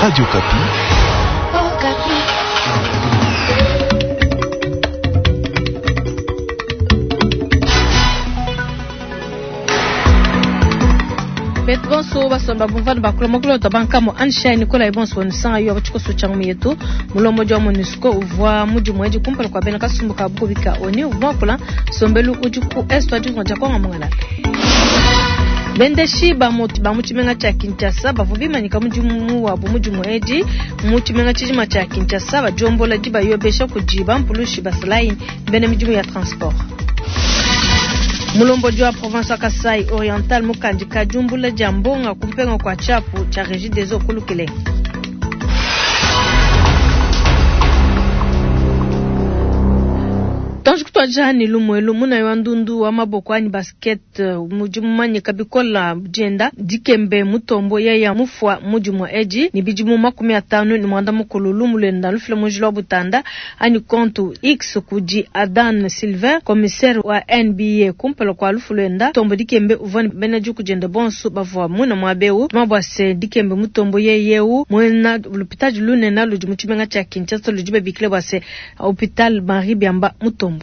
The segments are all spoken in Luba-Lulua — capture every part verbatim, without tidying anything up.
Radio Okapi. Betu bonso basomba bumvana bakula makulota bankamo Anshai Nicolas bonso wanisanga yo abachikoso changu yetu mulomo jwa MONUSCO uvwa mudi mweji kumpala kwa bena kasumbu ka bukubika oni uvwa kula sombelu udi ku est wa ditunga dia Kongo mongala. Bendeshi ba mutu ba muchimenga cha Kinshasa bavua bimanyika mudimu wabu mudimu edi muchimenga tshijima tsha Kinshasa bajombola diba yobesha kudi bampulushi basalayi bena midimu ya transport. Mulombodi wa province wa Kasai Oriental mukandika jumbula dia mbonga kumpenga kwa chapu cha Regideso kulukile. Tanji kutwaja ni lumwelu muna wa ndundu wa maboko ani basket mudimu manyika bikola jenda dikembe mutombo yaya mufwa mudimu eji ni bidimu makumi atano ni mwanda mukulu lumulenda lufila mujilo wa butanda ani kontu X kudi Adan Silver commissaire wa N B A kumpala kwa lufulenda tombo dikembe uvani bena juku jenda bonsu bavwa muna mwabeu mabwase dikembe mutombo yeyeu mwena lupitaji lunena ludi muchimenga cha Kinshasa ludi bikile bwase hopital Marie Biamba Mutombo.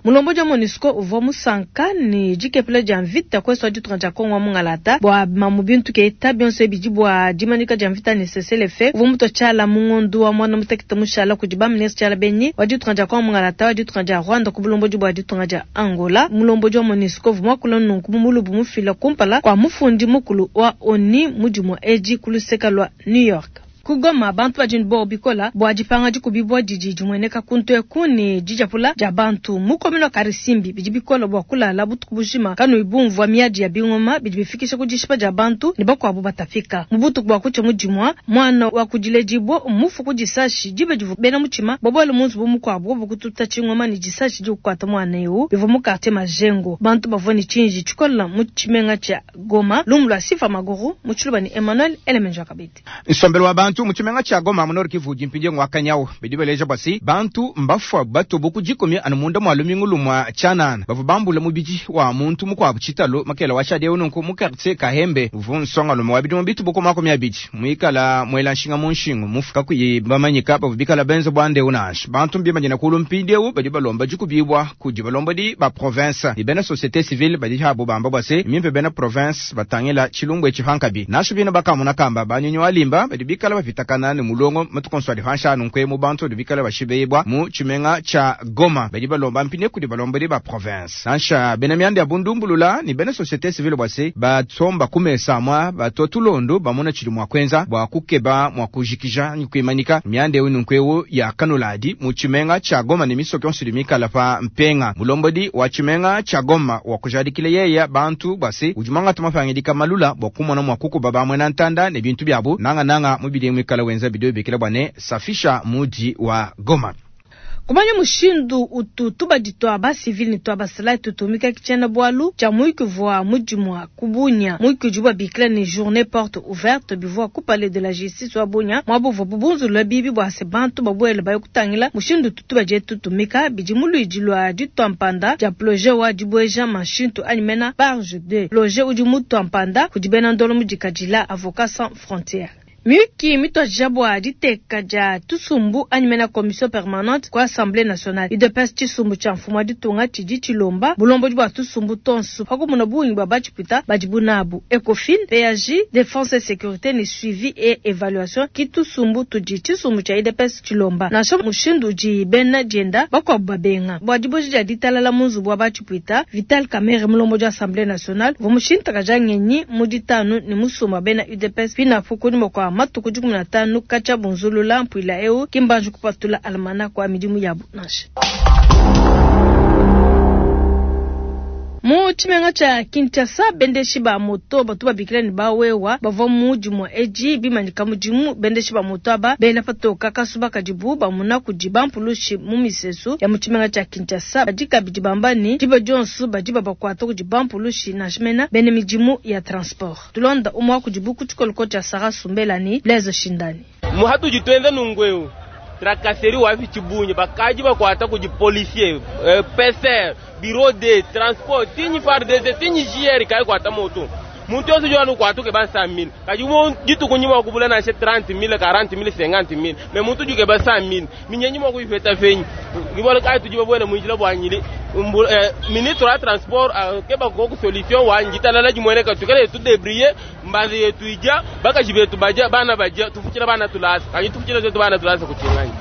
Mulombo wa MONUSCO uvwa musanka ni jikepele ja mvita kweso ditunga dia Kongo mungalata bwa mamubintu ke tabionso ebidi bwa dimanika ja mvita ni C C L F uvwa muto chala mungondu wa mwana mutekete mushala kudi ba ministre chala benyi wa ditunga dia Kongo mungalata wa ditunga dia Rwanda ku bulombo bwa ditunga dia Angola. Mulombo wa MONUSCO uvwa mwakula nunku mumulubu mufila kumpala kwa mufundi mukulu wa ONU mudimu eji kuluseka lwa New York. Kugoma bantu bajini bo bikola bwa dipanga dikubibwa didi dimweneka kuntu ekuni dijapula dia bantu mukomino karisimbi bidi bikola bwa kulala butuku bujima kanu ibumvwa miadi ya bingoma bidi bifikisha kudishipa dia bantu ni bakwabo batafika mubutuku bwa kucha mudimwa mwana wa kudiledibwa mufu kudisashi dibe divu bena muchima bobole munzu bumukwabo bukututa chingoma ni disashi dikukwata mwana eu bivu mukarte majengo bantu bavua ni chinji chikola muchimenga cha Goma lumula sifa maguru muchiluba ni Emmanuel Elemenja Kabete nsombelo wa bantu muchimenga cha Goma mu Nord Kivu jimpinje ngwakanyao bidibeleja basi bantu mbafwa bato bokujikomi anu munda mwa lumingu lumwa chanana bavu bambula mubiji wa muntu mukwabu chitalo makela wa shade ununku mu quartier Kahembe vunsonga lumo wa bidumu bitu boko makumi abidi muikala mwela nshinga mu nshingu mufuka kuyibamanyika bavu bikala benzo bwande unash bantu mbimanyina kulu mpindeu badi balomba jikubibwa kudi balomba di ba province ibena société civile badi habo bamba bwase mimpe bena province batangela chilumbwe chihankabi nasho bino bakamuna kamba banyonyo alimba badi bikala bapitakana ni mulongo matukonswa di hansha nunkwe mu bantu di bikala bashibeyibwa mu chimenga cha Goma badi balomba mpine kudi balomba di ba province nansha bena myanda ya bundumbulula ni bena société civile bwase batsomba kumesa mwa batotulondo bamona chili mwa kwenza bwa kukeba mwa kujikija ni kuimanika myanda ewu nunkwewu ya kanuladi mu chimenga cha Goma ni misoko yonse di mikala pa mpenga mulombodi wa chimenga cha Goma wa kujadikile yeya bantu bwase ujumanga tumafangidika malula bwa kumona mwa kukuba bamwe na ntanda ne bintu byabu nanga nanga mubili mwikala wenza bidio bikila bwane safisha muji wa Goma. Kumanya mushindu utu tubadi twa ba civil ni twa basala tutumika kichana bwalu cha muiki vwa mujimu wa kubunya muiki juba bikila ni journée porte ouverte bivwa ku palais de la justice wa bunya mwabu vwa bubunzu lwa bibi bwa se bantu babwele bayo kutangila mushindu utu tubadi tutumika bidi muluiji lwa ditwa mpanda dia projet wa dibweja mashintu animena barge de projet udi mutwa mpanda kudibena ndolo mudikadila avocat sans frontières. Miyuki mitwa jabwa diteka ja tusumbu animena commission permanente kwa Assemblée nationale. U D P S chisumbu cha mfumo ditunga chidi chilomba bulombo bwa tusumbu tonsu pakumuna bungi bwa bachipita bajibunabu Ecofin P A J défense et sécurité ni suivi et évaluation ki tusumbu tudi chisumbu cha U D P S chilomba nasho mushindu ji bena jenda bakwa babenga bwa diboji ja ditalala munzu bwa bachipita Vital Kamerhe mulombo ja Assemblée nationale vomushinta kajangenyi muditanu ni musumba bena U D P S pina fukuni mokwa matuku dikumi na tanu kacha bunzulula mpwila eu kimbanju kupatula almana kwa midimu yabu nansha. Mu chimenga cha Kinshasa bendeshi ba moto batu babikila ni bawewa bavwa muji mwa eji bimanyika mujimu bendeshi ba moto aba bela patoka kasuba kadibu bamuna kudi bampulushi mu misesu ya mu chimenga cha Kinshasa badika bidi bambani diba dionsu badi babakwata kudi bampulushi na shimena bene midimu ya transport tulonda umwa kudibu kuchikoloko cha Sarah Sumbelani Blaise Shindani. Muhatu jitwenza nungweu tracasserie wapi chibunye bakaji bakwata kudi policier eh, P C R bureau de transport tinyi F A R D C tinyi J R kai kwata moto Muntu yonso udi ukuata ukeba cent mille, kadi mu dituku nyi mua kubula nansha trente mille, quarante mille, cinquante mille, mais muntu udi ukeba cent mille, minyenyi mua kuyipeta penyi? Ke bualu kayi tudi babuele mu njila bua nyili ministre wa transport akeba koku solution wa ditalala dimueneka, tuikale tudébrouiller, mbanza yetu ija, bakaji betu baja, bana baja, tufutshila bana tulasa, kadi tufutshila twetu bana tulasa kutshinganyi.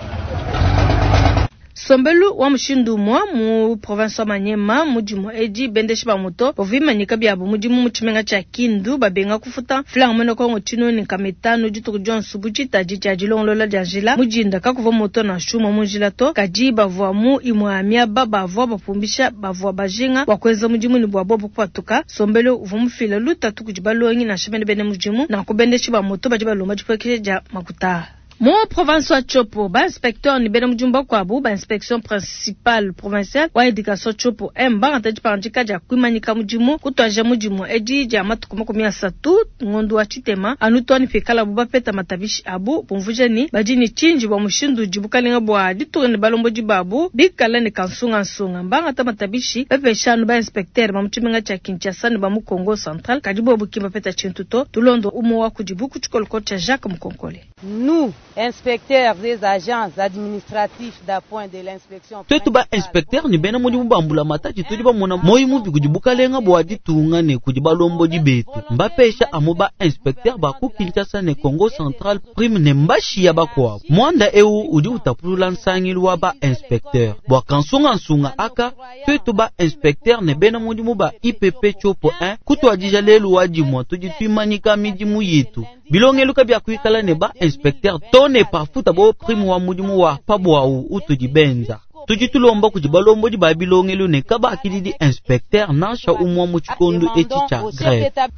Sombelu wa mushindu umue mu province wa Maniema, mudimu edi bendeshi ba moto bavua bimanyika biabu mudimu mu tshimenga tshia Kindu, babenga kufuta franga muena Kongo tshinunu nkama itanu dituku dionso bu tshitadi tshia dilongolola dia njila. Mudinda kakuvua moto nansha umue mu njila to, kadi bavua mu imue miaba bavua bapumbisha bavua bajinga bua kuenza mudimu ne bua bobu kupatuka. Sombelu uvua mufila lutatu kudi balongi nansha bene bene mudimu, nanku bendeshi ba moto badi balomba dipuekesha dia makuta. Mu province wa Tshopo, ba inspecteur ni bena mudimu bakuabu ba inspection principale provinciale wa education Tshopo M bangata dipangadika dia kuimanyika mudimu kutuaja mudimu edi dia matuku makumi asatu ngondo wa tshitema anu too ne pikalabu bapeta matabishi abu, bumvuija ni badi ne tshinji bua mushindu udi bukalenga bua ditunga ne balombodi babu bikala ne kansungansunga. Bangata matabishi bapesha anu ba inspecteur ba mu tshimenga tshia Kinshasa ne ba mu Congo central, kadi bobu ki bapeta tshintu to. Tulondo umue wa kudibu ku tshikolokolo tshia Jacques Mukonkole. Nous, inspecteurs des agents administratifs d'appoint de l'inspection twetu ba inspecteur ni bena mudimu ba mbulamatadi tudi bamona moyi mubi kudi bukalenga bua ditunga ne kudi balombodi betu, mbapesha amu ba inspecteur ba ku Kinshasa ne Congo central prime ne mbashiya bakuabu. Mwanda eu udi utapulula nsangilu wa ba inspecteur bua kansungansunga aka twetu ba inspecteur ne bena mudimu ba I P P Tshopo un kutuadija lelu wa dimua tudi tuimanyika midimu yetu, bilongelu kabia kuikala ne ba inspecteur to ne pafuta bo prime wa mudimu wa pabwawu utudi benza. Tudi tulomba kudi balombodi ba bilongelu ne kabakididi inspecteur nansha umwa mu tshikondo etshi tshia grève.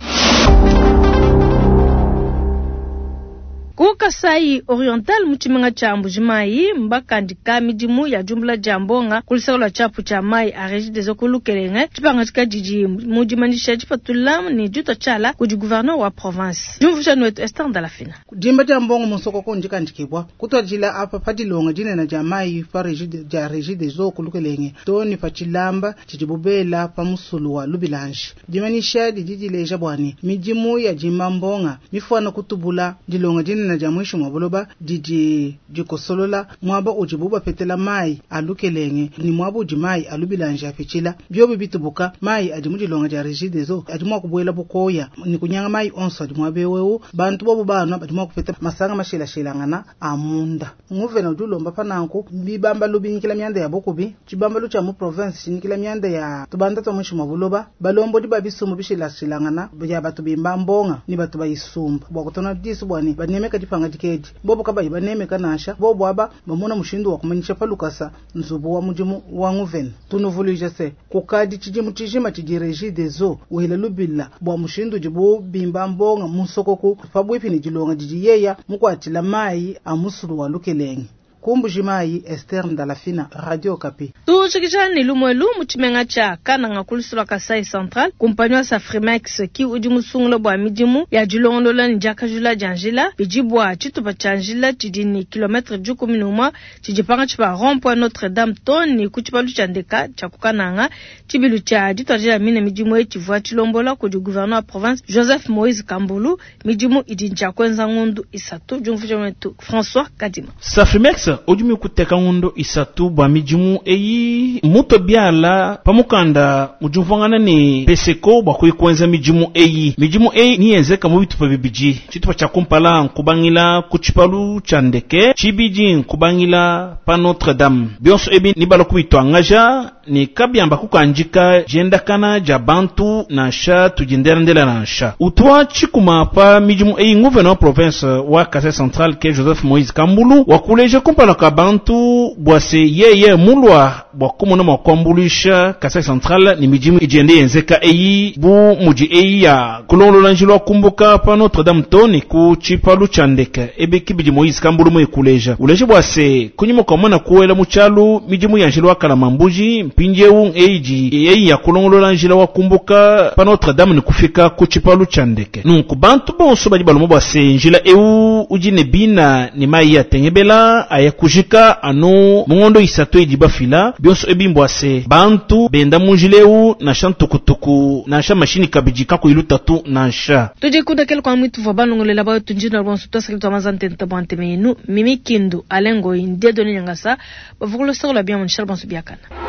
Ku Kasai Oriental mu tshimenga tshia Mbujimayi mbakandika midimu ya diumbula dia mbonga ku luseke lua tshiapu tshia mai a Regideso ku Lukelenge, tshipangadika didi mu dimanyisha dipatula ne ditua tshiala kudi gouverneur wa province. Diumvuija wetu Esther Ndalafina. Dimba dia mbongo mu nsokoko ndikandikibwa kutuadila apa pa dilonga dinene dia mai pa dia Regideso ku Lukelenge to ne pa tshilamba tshidi bubela pa musulu wa Lubilanji. Dimanyisha didi dileja bua ne midimu ya dimba mbonga mifuana kutubula dilonga dinene dia muinshi mua buloba didi dikosolola muaba udibu bapetela mai a Lukelenge ni muaba udi mai a Lubilanji apitshila. Biobi bitubuka, mai adi mu dilonga dia Regideso adi mua kubuela bukoya ni kunyanga mai onso adi muaba ewu. Bantu bobu banwa badi mua kupeta masanga mashilashilangana a munda. Nguvena udi ulomba pananku bibambalu binyikila mianda ya bukubi, tshibambalu tshia mu province tshinyikila mianda ya tubanda twa muinshi mua buloba, balombodi ba bisumbu bishilashilangana bia batu bimba mbonga ni batu bayisumba bua kutona disu bua ne banemeka dipangadika edi. Bobu kabayi banemeka nansha bobu aba bamona mushindu wa kumanyisha pa lukasa nzubu wa mudimu wa nguvena. Tunuvuluija se kukadi tshidimu tshijima tshidi Regideso wela lubila bua mushindu udibu bimba mbonga mu nsokoku pabuipi ne dilonga didi yeya mukuatshila mayi a musulu wa Lukelenge. Ku Mbujimayi, Esther Ndalafina, Radio Okapi. Tujikija ne lumuelu mu tshimenga tshia Kananga ku luseke lua Kasai Central, kumpanyi wa Safrimex ki udi musungula bua midimu ya dilongolola ne diakajula dia njila bidi bua tshitupa tshia njila tshidi ne kilometre dikumi ne umue tshidi pangatshi pa rond point Notre Dame to ne ku tshipalu tshia ndeka tshia ku Kananga. Tshibilu tshia dituadija mine midimu eyi tshivua tshilombola kudi gouverneur wa province Joseph Moïse Kambulu. Midimu idi ntshia kuenza ngundu isatu. Diumvuija wetu François Kadima. Safrimex udi mikuteka ngondo isatu bua midimu eyi muto biala pamukanda udi ne peseko bua kuikwenza midimu eyi. Midimu eyi niyenzeka mu bitupa bibidi: tshitupa tshia kumpala nkubangila ku tshipalu tshia ndeke, tshibidi nkubangila pa Notre Dame. Bionso ebi nibala kubituangaja ne kabiamba kukandika diendakana dia bantu nansha tudindelandela nansha utwa tshikuma pa midimu eyi. Gouverneur wa province wa Kasai Central ke Joseph Moïse Kambulu wakuleja kumpala ka bantu bua se yeye mulwa bua kumona mua kuambuluisha Kasai Central ni midimu idiende yenzeka eyi bu mudi eyi ya kulongolola njila wa kumbuka pa Notre Dame to ne ku tshipalu tshia ndeke. Ebe kibidi Moïse Kambulu muekuleja uleje bua se kunyima kua mwana kuwela mu tshialu midimu ya njila wa Kalamambuji, mpindiewu eyi eyi ya kulongolola njila wa kumbuka pa Notre Dame ne kufika ku tshipalu tshia ndeke. Nunku bantu bonso badi balomba bua se njila ewu udi ne bina ne mayi atengebela aya baya kujika anu mu ngondo isatu idi bafila bionso ebi mbua se bantu benda mu njila eu nansha ntukutuku nansha mashini kabidi kakuyi lutatu nansha. Tudi kundekela kwa mwitu vwa balongolela bayo tunjina lwanso twasakili twa mazantente bwa nteme yenu Mimi Kindu Alengo Dieudonné Nyangasa bavukulu sokola bien mon cher bonso biakana.